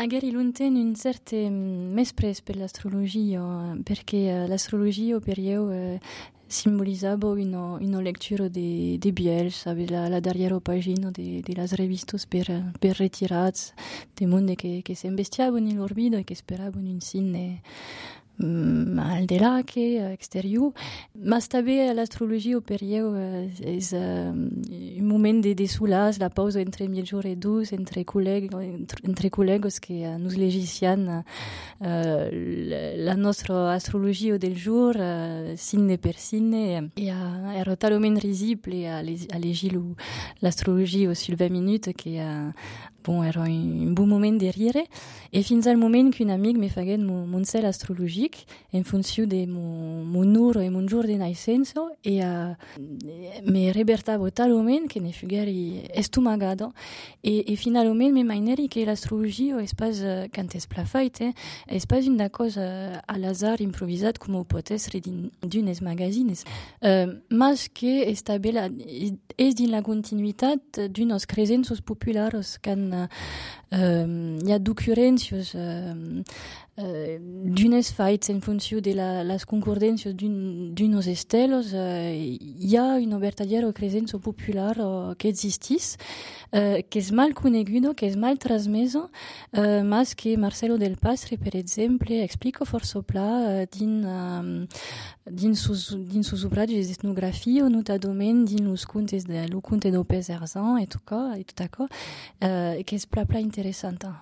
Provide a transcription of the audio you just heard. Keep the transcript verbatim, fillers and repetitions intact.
Ager ilunten un certe mespres per l'astrologia, perché l'astrologia per io eh, simbolisava una, una lectura de, de Biel, sabe, la, la darriera pagina de, de las revistas per, per retirats, de monde che, che s'investiavano in lor vida e che speravano in sinne mm, al de là che exterior. Ma també l'astrologia per io eh, és uh, un moment de, de solas, la pausa entre mitjor e dus, entre col·legues, entre, entre col·legues que uh, nos legician uh, la nostra astrologia del jour, uh, signe per signe, e uh, era talment risible a, a llegir l'astrologia sul vingt minutes que uh, bon, era un, un bon moment de rire, e fins al moment qu'un amic me faguet mon, mon cel astrologic en funció de mon, mon ur e mon jour de naixença, e uh, me rebertavo talment que ne fugeri estomagada, e, e finalment me maineri que l'astrologia és pas, uh, quand es plafait, eh, és pas una cosa a l'azar improvisat com ho pot essere d'unes magazines, uh, mas que és també la, és din la continuïtat d'unes cresences populares quand uh, hi ha d'occurrències uh, uh, d'unes faits en funció de la, les concordàncies d'unes esteles, uh, hi ha una vertadera cresença popular uh, que existís, uh, que és mal coneguda, que és mal transmesa, uh, mas que Marcelo del Pastre, per exemple, explica força pla uh, din, um, din sus, din sus obrages d'etnografia, notadament din los contes de lo conte do Pes Erzan, et tot, et tot això, uh, que és pla pla interessant.